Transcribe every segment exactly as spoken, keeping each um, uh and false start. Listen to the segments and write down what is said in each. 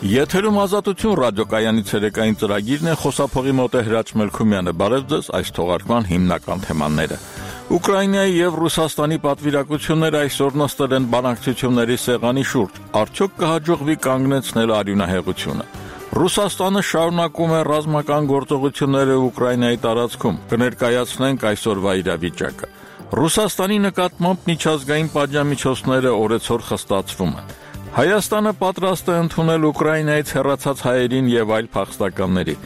Եթերում ազատություն ռադիոկայանի ցերեկային ծրագիրն է, խոսափողի մոտ է Հրաչ Մելքումյանը։ Բարև ձեզ, այս թողարկման հիմնական թեմաները։ Ուկրաինայի եւ Ռուսաստանի պատվիրակությունները այսօր նստել են բանակցությունների սեղանի շուրջ։ Արդյոք կհաջողվի կանգնեցնել արյունահեղությունը։ Ռուսաստանը շարունակում է ռազմական գործողությունները Ուկրաինայի տարածքում։ Կներկայացնենք այսօրվա իրավիճակը։ Ռուսաստանի նկատմամբ միջազգային պատժամիջոցները օրեցօր խստացվում են։ Հայաստանը պատրաստ է ընդունել Ուկրաինայից հեռացած հայերին եւ այլ փախստականների։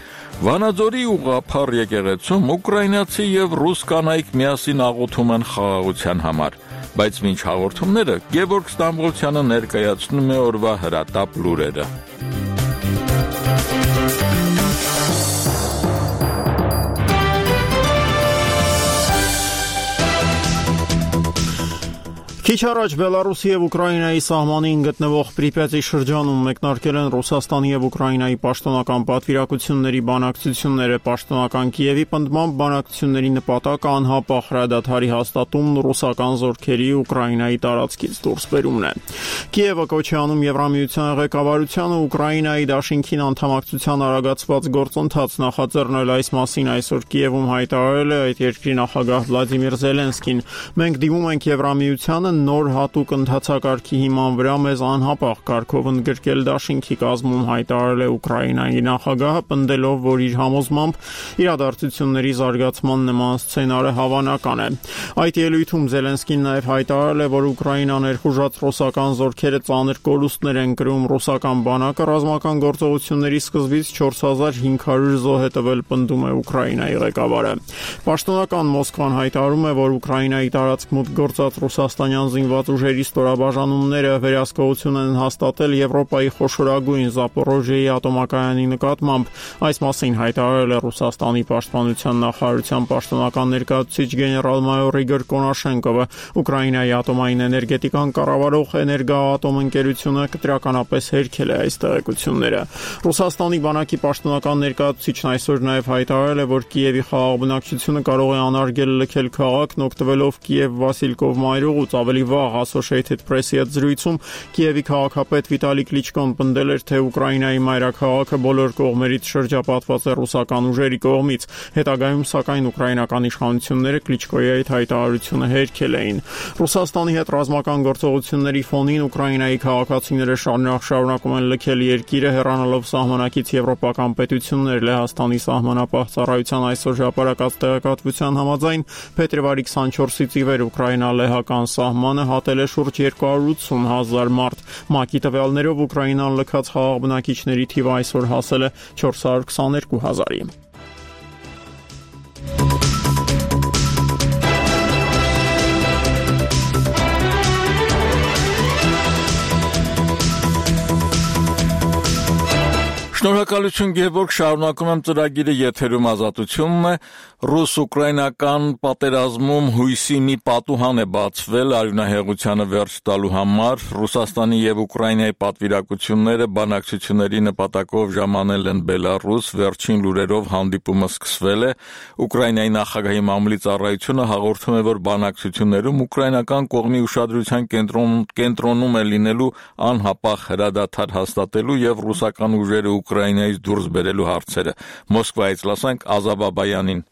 Վանաձորի ուղղափառ եկեղեցում ուկրաինացի եւ ռուս կանայք միասին աղոթում են խաղաղության համար։ Բայց մինչ հաղորդումները Գևորգ Ստամբոլցյանը ներկայացնում է օրվա հրատապ լուրերը։ Քիչ առաջ Բելարուսի եւ Ուկրաինայի սահմանին գտնվող Պրիպյատի շրջանում մեկնարկել են Ռուսաստանի եւ Ուկրաինայի պաշտոնական պատվիրակությունների բանակցությունները։ Պաշտոնական Կիևի պնդմամբ բանակցությունների նպատակը անհապաղ հրադադարի հաստատումն ու ռուսական զորքերի Ուկրաինայի տարածքից դուրսբերումն է։ Կիևը կոչ է անում Եվրամիության ղեկավարությանը Ուկրաինայի դաշինքին անդամակցության արագացված գործընթաց նախաձեռնել։ Այս մասին այսօր Կիևում հայտարարել է այդ երկրի նախագահ Վլադիմիր Զելենսկին։ Մենք դիմում ենք Եվրամիությանը նոր հատուկ ընթացակարգի հիման վրա մեզ անհապաղ կարգով ընդգրկել դաշինքի կազմում, հայտարարել է Ուկրաինայի նախագահը, պնդելով, որ իր համոզմամբ իրադարձությունների զարգացման նման սցենարը հավանական է։ Այդ ելույթում Զելենսկին նաև հայտարարել է, որ Ուկրաինան ներխուժած ռուսական զորքերը ծանր կորուստներ են կրում։ Ռուսական բանակը ռազմական գործողությունների սկզբից չորս հազար հինգ հարյուր զոհ է տվել, պնդում է Ուկրաինայի ղեկավարը։ Պաշտոնական Մոսկվան հայտարարում է, որ Ուկրաինայի տարածք մուտք գործած ռուսաստանյան զինված ուժերի ստորաբաժանումները վերահսկողություն են հաստատել Եվրոպայի խոշորագույն Զապորոժիեի ատոմակայանի նկատմամբ։ Այս մասին հայտարարել է Ռուսաստանի պաշտպանության նախարարության պաշտոնական ներկայացուցիչ գեներալ-մայոր Իգոր Կոնաշենկովը։ Ուկրաինայի ատոմային էներգետիկան կառավարող Էներգոատոմ ընկերությունը կտրականապես հերքել է այս տեղեկությունները։ Ռուսաստանի բանակի պաշտոնական ներկայացուցիչն այսօր նաև հայտարարել է, որ Կիևի խաղաղ բնակչությունը կարող է անարգել լքել քաղաքն, օգտվելով Կիև-Վասիլկով մայրուղուց։ Ավելի վաղ Associated Press-ի հետ զրույցում Կիևի քաղաքապետ Վիտալի Կլիչկոն պնդել էր, թե Ուկրաինայի մայրաքաղաքը բոլոր կողմերից շրջապատված է ռուսական ուժերի կողմից։ Հետագայում, սակայն, ուկրաինական իշխանությունները Կլիչկոյի այդ հայտարարությունը հերքել էին։ Ռուսաստանի հետ ռազմական գործողությունների ֆոնին Ուկրաինայի քաղաքացիները շարունակ շարունակում են լքել երկիրը, հեռանալով սահմանակից եվրոպական պետություններ։ Լեհաստանի սահմանապահ ծառայության այսօր հրապարակած տեղեկատվության համաձայն փետրվարի քսանչորսից ի վեր Ուկրաինա-լեհական սահմանը հատել է շուրջ երկու հարյուր ութսուն հազար մարդ։ ՄԱԿ-ի տվյալներով Ուկրաինան լքած խաղաղ բնակիչների թիվը այսօր հասել է չորս հարյուր քսաներկու հազարի։ Շնորհակալություն Գևորգ, շարունակում եմ ծրագիրը, եթերում ազատությունն է։ Ռուս-ուկրաինական պատերազմում հույսի մի պատուհան է բացվել արյունահեղությանը վերջ տալու համար։ Ռուսաստանի եւ Ուկրաինայի պատվիրակությունները բանակցությունների նպատակով ժամանել են Բելարուս, վերջին լուրերով հանդիպումը սկսվել է։ Ուկրաինայի նախագահի մամուլի ծառայությունը հաղորդում է, որ բանակցություններում ուկրաինական կողմի ուշադրության կենտրոն, կենտրոնում է լինելու անհապաղ հրադադար հաստատելու եւ ռուսական ուժերը Ուկրաինայից դուրս բերելու հարցերը։ Մոսկվայից լսենք Ազա Բաբայանին։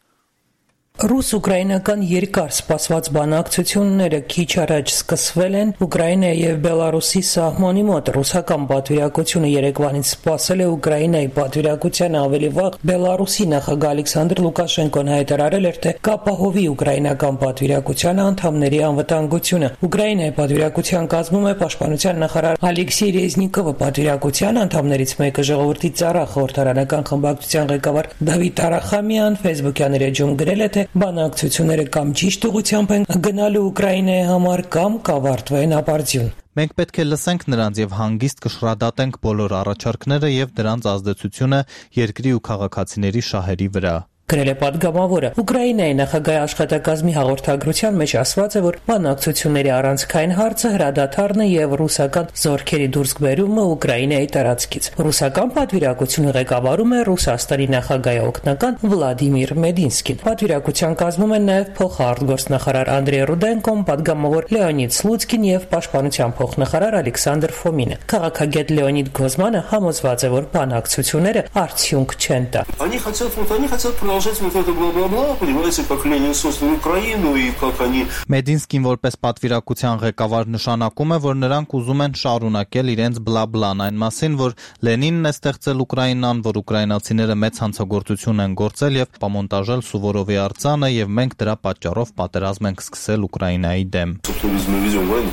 Ռուս-ուկրաինական երկար սպասված բանակցությունները քիչ առաջ սկսվել են Ուկրաինայի եւ Բելարուսի սահմանի մոտ։ Ռուսական պատվիրակությունը երեկվանից սպասել է Ուկրաինայի պատվիրակությանը, ավելի վաղ Բելարուսի նախագահ Ալեքսանդր Լուկաշենկոն հայտարարել էր, թե կապահովի ուկրաինական պատվիրակության անդամների անվտանգությունը։ Ուկրաինայի պատվիրակության կազմում է պաշտպանության նախարար Ալեքսեյ Ռեզնիկովը, պատվիրակության անդամներից մեկը ժողովրդի ծառա խորհրդարանական խմբակցության ղեկավար Դավիթ Արախամյան Facebook-յան էջում գրել է, թե բանակցությունները կամ ճիշտ ուղղությամբ են գնալու Ուկրաինայի համար, կամ կավարտվեն ապարդյուն։ Մենք պետք է լսենք նրանց եւ հանգիստ կշռադատենք բոլոր առաջարկները եւ դրանց ազդեցությունը երկրի ու քաղաքացիների շահերի վրա։ Գրել է պատգամավորը։ Ուկրաինայի նախագահի աշխատակազմի հաղորդագրության մեջ ասված է, որ բանակցությունների առանցքային հարցը հրադադարն է եւ ռուսական զորքերի դուրսբերումը Ուկրաինայի տարածքից։ Ռուսական պատվիրակությունը ղեկավարում է Ռուսաստանի նախագահի օգնական Վլադիմիր Մեդինսկին։ Պատվիրակության կազմում են նաեւ փոխարտգործնախարար Անդրեյ Ռուդենկոն, պատգամավոր Լեոնիդ Սլուցկին եւ պաշտպանության փոխնախարար Ալեքսանդր Ֆոմինը։ Քաղաքագետ Լեոնիդ Գոզմանը համոզված է, որ բանակցությունները արդյունք չեն տա։ Они хотят, вот они хотят продолжать вот это бла-бла-бла, понимаете, как Ленин создал Украину и как они... Մեդինսկին որպես պատվիրակության ղեկավար նշանակում է, որ նրանք ուզում են շարունակել իրենց բլա-բլան այն մասին, որ Լենինն է ստեղծել Ուկրաինան, որ ուկրաինացիները մեծ հանցագործություն են գործել եւ պամոնտաժել Սուվորովի արձանը եւ մենք դրա պատճառով պատերազմ ենք սկսել Ուկրաինայի դեմ։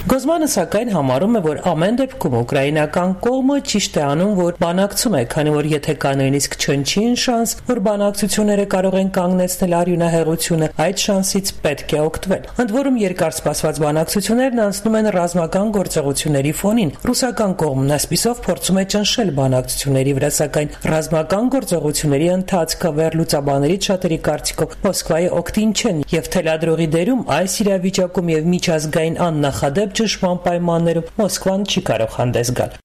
Գոզմանը սակայն համարում է, որ ամեն դեպքում ուկրաինական կողմը ճիշտ է անում, որ բանակցում է, քանի որ եթե կա նույնիսկ չնչին շանս, որ բանակցությունները կարող են կանգնեցնել արյունահեղությունը, այդ շանսից պետք է օգտվել։ Ընդ որում երկար սպասված բանակցություններն անցնում են ռազմական գործողությունների ֆոնին։ Ռուսական կողմն այսպիսով փորձում է ճնշել բանակցությունների վրա, սակայն ռազմական գործողությունների ընթացքը վերլուծաբաններից շատերի կարծիքով Մոսկվայի օգտին չեն եւ թելադրողի դերում այս իրավիճակում եւ միջազգային աննախադեպ ճնշման պայմաններում Մոսկվան չի կարող հանդես գալ։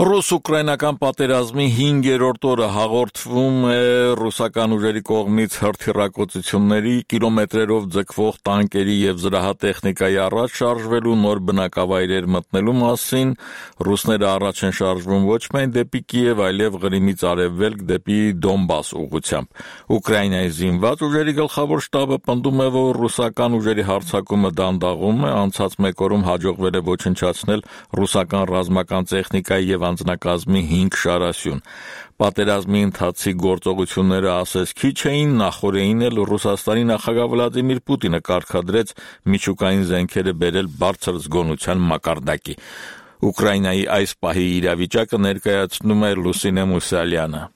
Ռուս-ուկրաինական պատերազմի հինգերորդ օրը հաղորդվում է ռուսական ուժերի կողմից հրթիռակոծությունների, կիլոմետրերով ձգվող տանկերի եւ զրահատեխնիկայի առաջ շարժվելու, նոր բնակավայրեր մտնելու մասին։ Ռուսները առաջ են շարժվում ոչ միայն դեպի Կիև, այլև Ղրիմից արևելք դեպի Դոնբաս ուղղությամբ։ Ուկրաինայի զինված ուժերի գլխավոր շտաբը պնդում է, որ ռուսական ուժերի հարձակումը դանդաղում է, անցած մեկ օրում հաջողվել է ոչնչացնել ռուսական ռազմական տեխնիկայի եւ անձնակազմի հինգ շարասյուն։ Պատերազմի ընթացքի գործողությունները ասես քիչ էին, նախորդին էլ Ռուսաստանի նախագահ Վլադիմիր Պուտինը կարգադրեց միջուկային զենքերը բերել բարձր զգոնության մակարդակի։ Ուկրաինայի այս պահի իրավիճակը ներկայացնում է Լուսինե Մուսալյանը։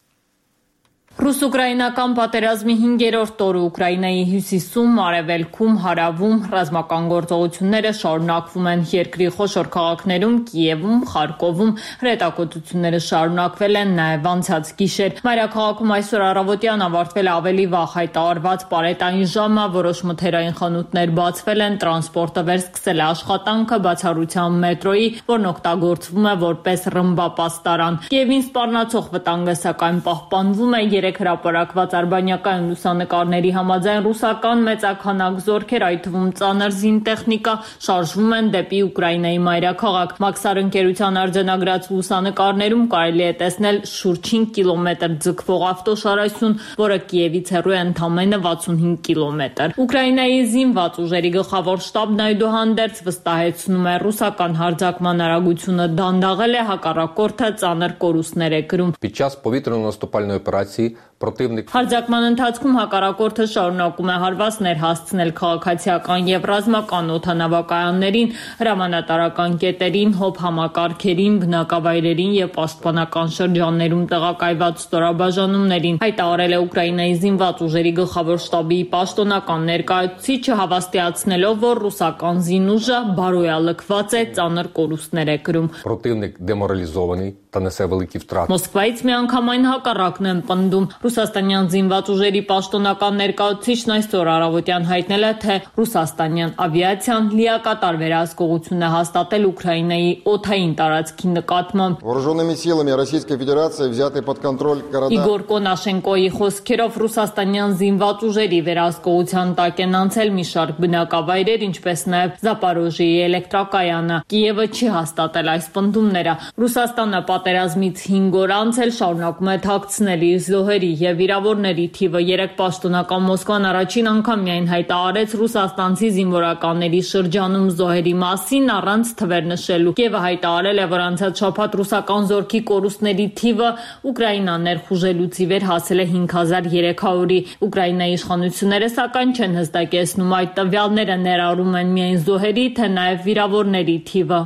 Ռուս-ուկրաինական պատերազմի հինգերորդ օրը Ուկրաինայի հյուսիսում, արևելքում, հարավում ռազմական գործողությունները շարունակվում են երկրի խոշոր քաղաքներում, Կիևում, Խարկովում, հրետակոծությունները շարունակվել են նաև անցած գիշեր։ Մայրաքաղաքում այսօր առավոտյան ավարտվել է ավելի վաղ հայտարարված պարետային ժամը, որոշ մթերային խանութներ բացվել են, տրանսպորտը վերսկսել է աշխատանքը, բացառությամբ մետրոյի, որն օգտագործվում է որպես ռմբապաստարան։ Կիևին սպառնացող վտանգը սակայն պահպանվում է։ Երեք հրապարակված արբանյակային լուսանկարների համաձայն ռուսական մեծաքանակ զորքեր, այդ թվում ծանր զինտեխնիկա, շարժվում են դեպի Ուկրաինայի մայրաքաղաք։ Մաքսար ընկերության արձանագրած լուսանկարներում կարելի է տեսնել շուրջ հինգ կիլոմետր ձգվող ավտոշարասյուն, որը Կիևից հեռու է ընդամենը վաթսունհինգ կիլոմետր։ Ուկրաինայի զինված ուժերի գլխավոր շտաբն այդուհանդերձ վստահեցնում է, ռուսական հարձակման արագությունը դանդաղել է, հակառակորդը ծանր կորուստներ է կրում։ Під час повітряно-наступальної операції противник Հարձակման ընթացքում հակառակորդը շարունակում է հարվածներ հասցնել քաղաքացիական եւ ռազմական օդանավակայաններին, հրամանատարական կետերին, հոբ համակարգերին, բնակավայրերին եւ պաշտպանական շրջաններում տեղակայված ստորաբաժանումներին։ Հայտարարել է Ուկրաինայի զինված ուժերի գլխավոր շտաբի պաշտոնական ներկայացուցիչը, հավաստիացնելով, որ ռուսական զինուժը բարոյալքված է, ծանր կորուստներ է կրում։ противник деморалізований та несе великі втрати. Մոսկվայից միանգամայն հակառակն են պնդում։ Ռուսաստանյան զինված ուժերի պաշտոնական ներկայացուցիչն այսօր առավոտյան հայտնել է, թե ռուսաստանյան ավիացիան լիակատար վերահսկողություն է հաստատել Ուկրաինայի օդային տարածքի նկատմամբ։ Вооруженными силами Российской Федерации взяты под контроль города. Իգոր Կոնաշենկոյի խոսքերով ռուսաստանյան զինված ուժերի վերահսկողության տակ են անցել մի շարք բնակավայրեր, ինչպես նաև Զապորոժիեի էլեկտրակայանը։ Կիևը չի հաստատել այս պնդումները։ Ռուսաստանը պատերազմից հինգ օր անց էլ շարունակում է թաքցնել իր զոհերի եւ վիրավորների թիվը։ Երեք պաշտոնական Մոսկվան առաջին անգամ միայն հայտարարեց ռուսաստանցի զինվորականների շրջանում զոհերի մասին առանց թվեր նշելու։ Կիևը հայտարարել է, որ անցած շաբաթ ռուսական զորքի կորուստների թիվը Ուկրաինան ներխուժելուց ի վեր հասել է հինգ հազար երեք հարյուրի։ Ուկրաինայի իշխանությունները սակայն չեն հստակեցնում այդ տվյալները ներառում են միայն զոհերի, թե նաև վիրավորների թիվը։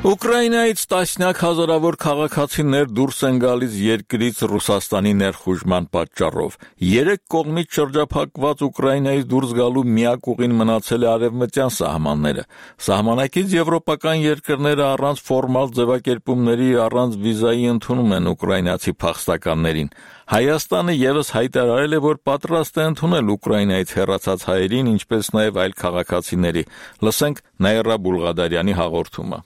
Ուկրաինայից տասնյակ հազարավոր քաղաքացիներ դուրս են գալիս երկրից Ռուսաստանի ներխուժման պատճառով։ Երեք կողմից շրջափակված Ուկրաինայից դուրս գալու միակ ուղին մնացել է արևմտյան սահմանները։ Սահմանակից եվրոպական երկրները առանց ֆորմալ ձևակերպումների, առանց վիզայի ընդունում են ուկրաինացի փախստականներին։ Հայաստանը ևս հայտարարել է, որ պատրաստ է ընդունել Ուկրաինայից հեռացած հայերին, ինչպես նաև այլ քաղաքացիների։ Լսենք Նաիրա Բուլղադարյանի հաղորդումը։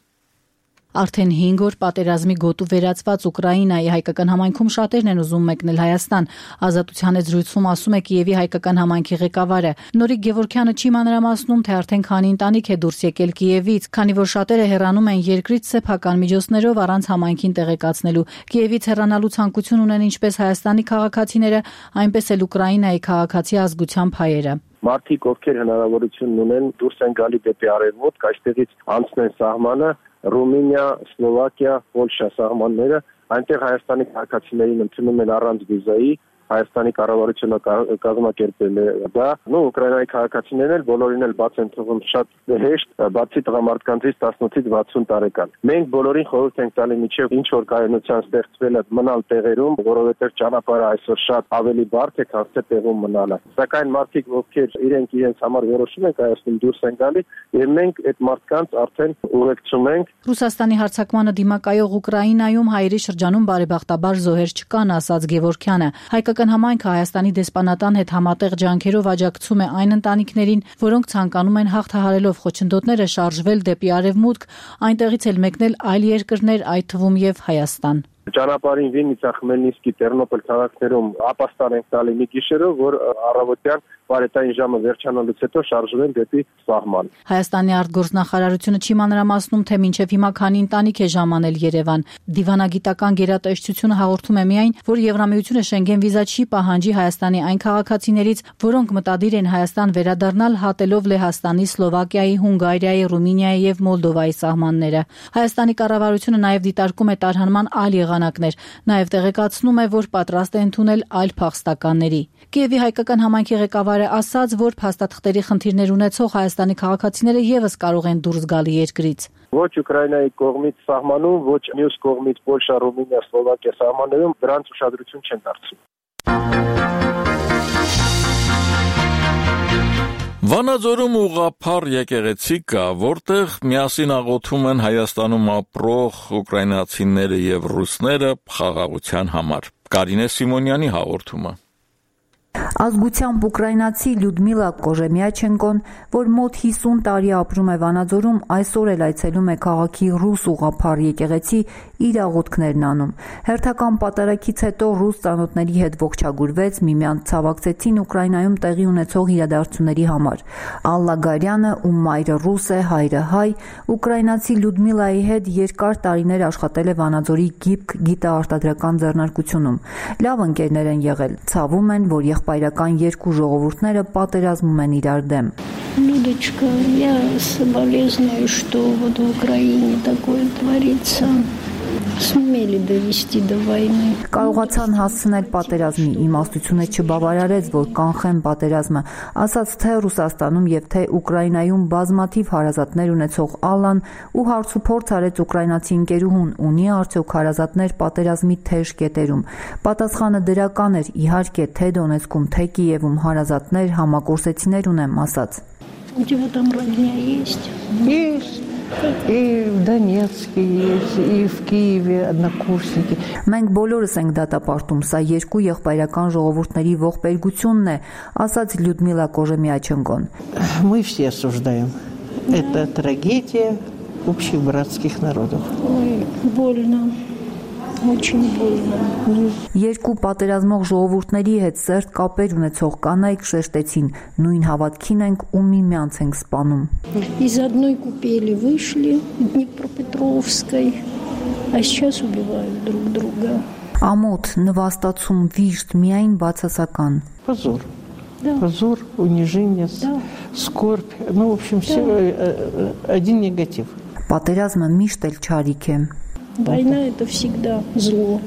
Արդեն հինգ օր պատերազմի գոտու վերածված Ուկրաինայի հայկական համայնքում շատերն են ուզում մեկնել Հայաստան։ Ազատության զրույցում ասում է Կիևի հայկական համայնքի ղեկավարը։ Նորիկ Գևորգյանը չի մանրամասնում, թե արդեն քանի ընտանիք է դուրս եկել Կիևից, քանի որ շատերը հեռանում են երկրից սեփական միջոցներով առանց համայնքին տեղեկացնելու։ Կիևից հեռանալու ցանկություն ունեն ինչպես Հայաստանի քաղաքացիները, այնպես էլ Ուկրաինայի քաղաքացի ազգությամբ հայերը։ Մարդիկ, ովքեր հնարավորություն ունեն դուրս են գալի դեպի արևմուտք, այստեղից անցնեն սահմանը, Ռումինիա, Սլովակիա, Պոլշա սահմանները, այնտեղ Հայաստանի քաղաքացիներին ընդունում են առանց վիզայի, Հայաստանի կառավարությունը կազմակերպել է դա, նո Ուկրաինայի քաղաքացիներն էլ բոլորին էլ բաց են թվում շատ հեշտ, բացի տղամարդկանցից տասնութից վաթսուն տարեկան։ Մենք բոլորին խորհուրդ ենք տալի միջև ինչ որ կայունության ստեղծվել է մնալ տեղերում, որովհետև ճանապարհը այսօր շատ ավելի բարդ է, քան թե տեղում մնալը։ Սակայն մարդիկ, ովքեր իրենք իրենց համար որոշում են կայացնում դուրս են գալի, եւ մենք այդ մարդկանց արդեն ուղեկցում ենք։ Ռուսաստանի հարձակմանը դիմակայող Ուկրաինայում հայերի շրջանում բարեբախտաբար զոհեր չկան, ասաց Գևորգյանը։ Հայկական համայնքը Հայաստանի դեսպանատան հետ համատեղ ջանքերով աջակցում է այն ընտանիքներին, որոնք ցանկանում են հաղթահարելով խոչընդոտները շարժվել դեպի արևմուտք, այնտեղից էլ մեկնել այլ երկրներ, այդ թվում եւ Հայաստան։ Ճանապարհին Վիննիցա, Խմելնիսկի, Տերնոպոլ քաղաքներում ապաստան ենք տալի մի գիշերով, որ առավոտյան բարետային ժամը վերջանալուց հետո շարժվեն դեպի սահման։ Հայաստանի արտգործնախարարությունը չի մանրամասնում, թե մինչև հիմա քանի ընտանիք է ժամանել Երևան։ Դիվանագիտական գերատեսչությունը հաղորդում է միայն, որ Եվրամիությունը Շենգեն վիզա չի պահանջի Հայաստանի այն քաղաքացիներից, որոնք մտադիր են Հայաստան վերադառնալ հատելով Լեհաստանի, Սլովակիայի, Հունգարիայի, Ռումինիայի եւ Մոլդովայի սահմանները։ Հայաստանի կառավարությունը նաև դիտարկում է տարհանման այլ եղանակներ, նաև տեղեկացնում է, որ պատրաստ է ընդունել այլ փախստականների։ Կիևի հայկական համայնքի ղեկավարը ասաց, որ փաստաթղթերի խնդիրներ ունեցող Հայաստանի քաղաքացիները եւս կարող են դուրս գալ երկրից։ Ոչ Ուկրաինայի կողմից սահմանում, ոչ մյուս կողմից Պոլշա, Ռումինիա, Սլովակիա սահմաններում դրանց ուշադրություն չեն դարձնում։ Վանաձորում ուղղափառ եկեղեցի կա, որտեղ միասին աղոթում են Հայաստանում ապրող ուկրաինացիները եւ ռուսները խաղաղության համար։ Կարինե Սիմոնյանի հաղորդումը։ Ազգությամբ ուկրաինացի Լյուդմիլա Կոժեմյաչենկոն, որ մոտ հիսուն տարի ապրում է Վանաձորում, այսօր էլ այցելում է քաղաքի ռուս ուղղափառ եկեղեցի իր աղոթքներն անում։ Հերթական պատարագից հետո ռուս ծանոթների հետ ողջագուրվեց, միմյանց ցավակցեցին Ուկրաինայում տեղի ունեցող իրադարձությունների համար։ Ալլա Գարյանը, ում մայրը ռուս է, հայրը հայ, ուկրաինացի Լյուդմիլայի հետ երկար տարիներ աշխատել է Վանաձորի գիպք գիտաարտադրական ձեռնարկությունում։ Լավ ընկերներ են եղել, ցավում են, որ եղբայրական երկու ժողովուրդները պատերազմում են իրար դեմ։ Людочка, я соболезную, что вот в Украине такое творится. Сумели довести до войны. Կարողացան հասցնել պատերազմի, իմաստությունը չբավարարեց, որ կանխեն պատերազմը, ասաց թե Ռուսաստանում եւ թե Ուկրաինայում բազմաթիվ հարազատներ ունեցող Ալլան ու հարցուփորձ արեց ուկրաինացի ընկերուհուն, ունի արդյոք հարազատներ պատերազմի թեժ կետերում։ Պատասխանը դրական էր, իհարկե, թե Դոնեցկում, թե Կիևում հարազատներ, համակորսեցիներ ունեմ, ասաց։ У тебя там родня есть? Есть. И в Донецке есть, и в Киеве однокурсники. Մենք բոլորս ենք դատապարտում, սա երկու եղբայրական ժողովուրդների ողբերգությունն է, ասաց Լյուդմիլա Կոժեմյաչենկոն։ Мы все осуждаем. Это трагедия общих братских народов. Ой, больно. Очень больно. Երկու պատերազմող ժողովուրդների հետ սերտ կապեր ունեցող կանայք շեշտեցին, նույն հավատքին ենք ու միմյանց ենք սպանում։ Из одной купели вышли Днепропетровской, а сейчас убивают друг друга. Ամոթ, նվաստացում, վիշտ, միայն бацасական. Позор. Да. Позор, унижение, да. Скорбь. Ну, в общем, все да. Один негатив. Պատերազմը միշտ էլ չարիք է։ Война – это всегда зло.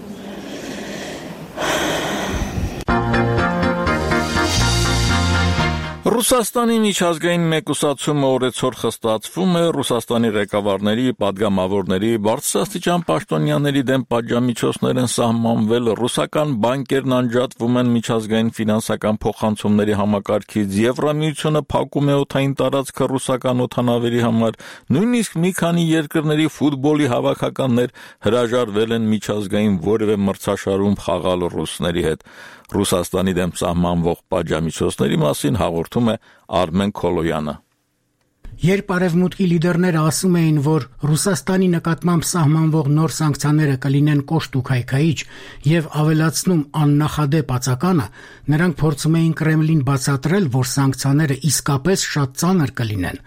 Ռուսաստանի միջազգային մեկուսացումը օրեցօր խստացվում է Ռուսաստանի ղեկավարների, падգամավորների, բարձրաստիճան պաշտոնյաների դեմ պատժամիջոցներ են սահմանվել, ռուսական բանկերն անջատվում են միջազգային ֆինանսական փոխանցումների համակարգից, Եվրամիությունը փակում է օդային տարածքը ռուսական օդանավերի համար, նույնիսկ մի քանի երկրների ֆուտբոլի հավաքականներ հրաժարվել են միջազգային որևէ մրցաշարում խաղալ ռուսների հետ։ Ռուսաստանի դեմ սահմանվող պատժամիջոցների մասին հաղորդում է Արմեն Քոլոյանը։ Երբ արևմուտքի լիդերները ասում էին, որ Ռուսաստանի նկատմամբ սահմանվող նոր սանկցիաները կլինեն կոշտ ու քայքայիչ եւ ավելացնում աննախադեպ ածականը, նրանք փորձում էին Կրեմլին բացատրել, որ սանկցիաները իսկապես շատ ծանր կլինեն։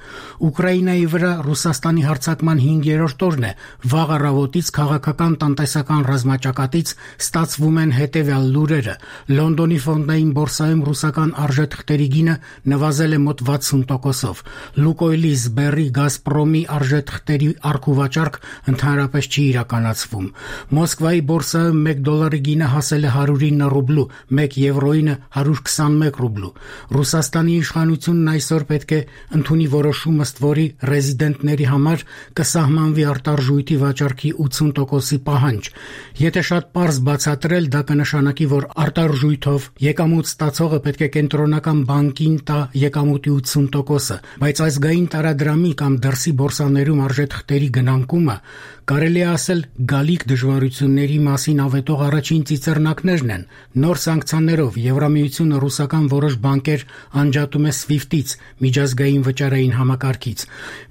Ուկրաինայի վրա Ռուսաստանի հարձակման հինգերորդ օրն է, վաղ առավոտից քաղաքական տնտեսական ռազմաճակատից ստացվում են հետեւյալ լուրերը. Լոնդոնի ֆոնդային բորսայում ռուսական արժեթղթերի գինը նվազել է մոտ վաթսուն տոկոսով։ Լուկոյլի, Սբերի, Գազպրոմի արժեթղթերի առքուվաճառք ընդհանրապես չի իրականացվում։ Մոսկվայի բորսայում մեկ դոլարի գինը հասել է հարյուր ինը ռուբլու, մեկ եվրոյինը հարյուր քսանմեկ ռուբլու։ Ռուսաստանի իշխանությունն այսօր պետք է ընդունի որոշում, ըստ որի ռեզիդենտների համար կսահմանվի արտարժույթի վաճառքի ութսուն տոկոսի պահանջ։ Եթե շատ պարզ բացատրել, դա կնշանակի, որ արտարժույթով եկամուտ ստացողը պետք է կենտրոնական բանկին տա եկամուտի ութսուն տոկոսը, բայց ազգային տարադրամի կամ դրսի բորսաներում արժեթղթերի գնանկումը կարելի է ասել գալիք դժվարությունների մասին ավետող առաջին ծիծեռնակներն են։ Նոր սանկցիաներով Եվրամիությունը ռուսական որոշ բանկեր անջատում է սվիֆտից, միջազգային վճարային համակարգից,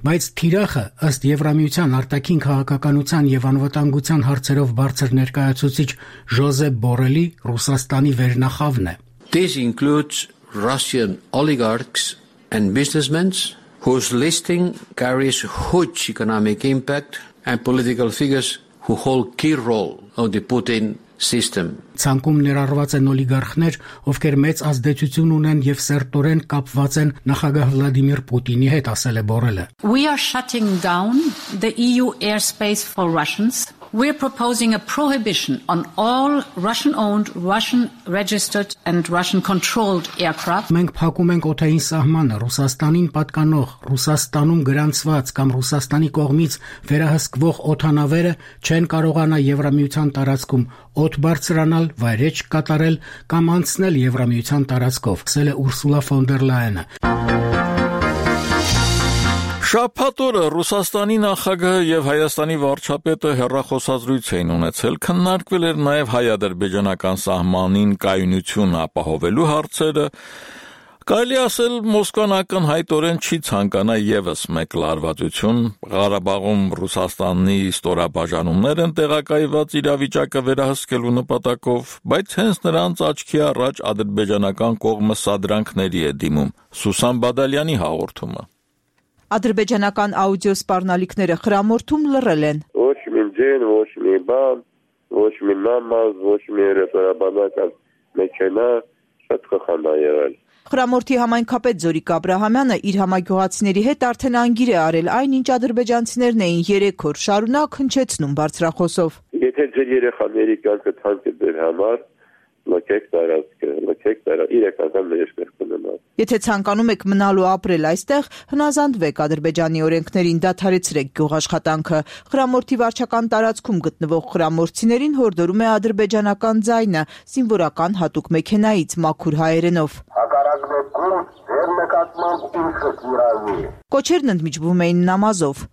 բայց թիրախը ըստ Եվրամիության արտաքին քաղաքականության եւ անվտանգության հարցերով բարձր ներկայացուցիչ Ժոզեփ Բորելի Ռուսաստանի վերնախավն է։ This includes Russian oligarchs and businessmen whose listing carries huge economic impact and political figures who hold key role of the Putin system. Ցանկում ներառված են օլիգարխներ, ովքեր մեծ ազդեցություն ունեն եւ սերտորեն կապված են նախագահ Վլադիմիր Պուտինի հետ, ասել է Բորելը։ We are shutting down the E U airspace for Russians. We're proposing a prohibition on all Russian-owned, Russian-registered and Russian-controlled aircraft. Մենք փակում ենք օդային սահմանը Ռուսաստանին պատկանող, Ռուսաստանում գրանցված կամ Ռուսաստանի կողմից վերահսկվող օդանավերը չեն կարողանա Եվրամիության տարածքում օդ բարձրանալ, վայրեջք կատարել կամ անցնել Եվրամիության տարածքով, ասել է Ուրսուլա ֆոն դեր Լայենը։ Շաբաթ օրը Ռուսաստանի նախագահը եւ Հայաստանի վարչապետը հեռախոսազրույց էին ունեցել, քննարկվել էր նաեւ հայ-ադրբեջանական սահմանին կայունություն ապահովելու հարցերը։ Կարելի ասել Մոսկվան ակնհայտորեն չի ցանկանա եւս մեկ լարվածություն, Ղարաբաղում Ռուսաստանի ստորաբաժանումներ են տեղակայված իրավիճակը վերահսկելու նպատակով, բայց հենց նրանց աչքի առաջ ադրբեջանական կողմը սադրանքների է դիմում։ Սուսան Բադալյանի հաղորդումը։ Ադրբեջանական աուդիո սպառնալիքները խրամորթում լռել են։ Ոչ մի ձեն, ոչ մի բան, ոչ մի նամազ, ոչ մի ռեֆերաբանական մեքենա, շատ խխանդ է եղել։ Խրամորթի համայնքապետ Զորիկ Աբրահամյանը իր համագյուղացիների հետ արդեն անգիր է արել այն, ինչ ադրբեջանցիներն էին երեք օր շարունակ հնչեցնում բարձրախոսով։ Եթե ձեր երեխաների կյանքը թանկ է ձեր համար, լքեք տարածքը, լքեք տարածքը, իրական ներշնորհ կունենալ։ Եթե ցանկանում եք մնալ ու ապրել այստեղ, հնազանդվեք Ադրբեջանի օրենքներին, դադարեցրեք գյուղաշխատանքը։ Խրամորթի վարչական տարածքում գտնվող խրամորթցիներին հորդորում է ադրբեջանական ձայնը, զինվորական հատուկ մեքենայից մաքուր հայերենով։ Կոչերն ընդմիջվում էին նամազով։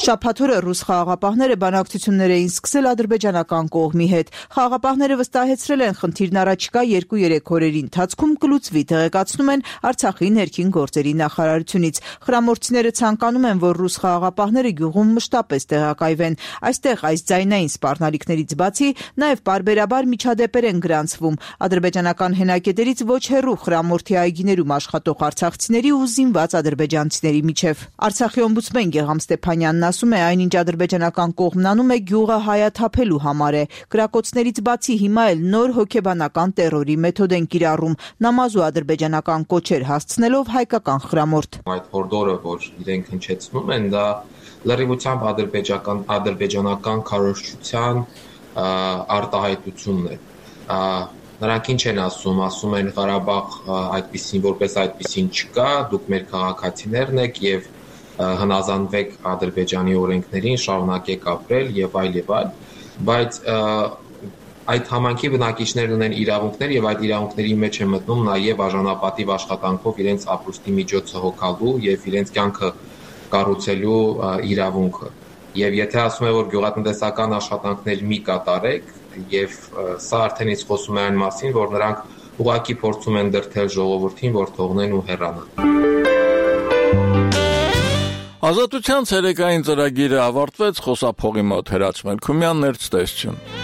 Շաբաթ օրը ռուս խաղաղապահները բանակցություններ էին սկսել ադրբեջանական կողմի հետ։ Խաղաղապահները վստահեցրել են խնդիրն առաջիկա երկու-երեք օրերի ընթացքում կլուծվի, տեղեկացնում են Արցախի ներքին գործերի նախարարությունից։ Խրամորթցիները ցանկանում են, որ ռուս խաղաղապահները գյուղում մշտապես տեղակայվեն։ Այստեղ այս ձայնային սպառնալիքներից բացի նաև պարբերաբար միջադեպեր են գրանցվում ադրբեջանական հենակետերից ոչ հեռու խրամորթի այգիներում աշխատող արցախցիների ու զինված ադրբեջանցիների միջև։ Արցախի օմբուդսմեն Գեգամ Ստեփանյանն ասում է, այնինչ ադրբեջանական կողմն անում է գյուղը հայաթափելու համար է։ Կրակոցներից բացի հիմա էլ նոր հոգեբանական տերորի մեթոդ են կիրառում, նամազ ու ադրբեջանական կոչեր հասցնելով հայկական խրամորթ։ Այդ հորդորը, որ իրենք հնչեցնում են, դա լրիվությամբ ադրբեջանական ադրբեջանական քարոզչության արտահայտությունն է։ Նրանք ինչ են ասում, ասում են Ղարաբաղ այդպեսին, որպես այդպեսին չկա, դուք մեր քաղաքացիներն եք եւ հնազանդվեք Ադրբեջանի օրենքներին, շարունակեք ապրել եւ այլ եւ այլ, բայց այդ համանքի բնակիչներն ունեն իրավունքներ եւ այդ իրավունքների մեջ է մտնում նաեւ արժանապատիվ աշխատանքով իրենց ապրուստի միջոցը հոգալու եւ իրենց կյանքը կառուցելու իրավունքը։ Եվ եթե ասում է, որ գյուղատնտեսական աշխատանքներ մի կատարեք, եւ սա արդեն իսկ խոսում է այն մասին, որ նրանք ուղղակի փորձում են դրթել ժողովրդին, որ թողնեն ու հեռանան։ Ազատության ցերեկային ծրագիրը ավարտվեց, խոսափողի մոտ Հրաչ Մելքումյան, ներկայացություն։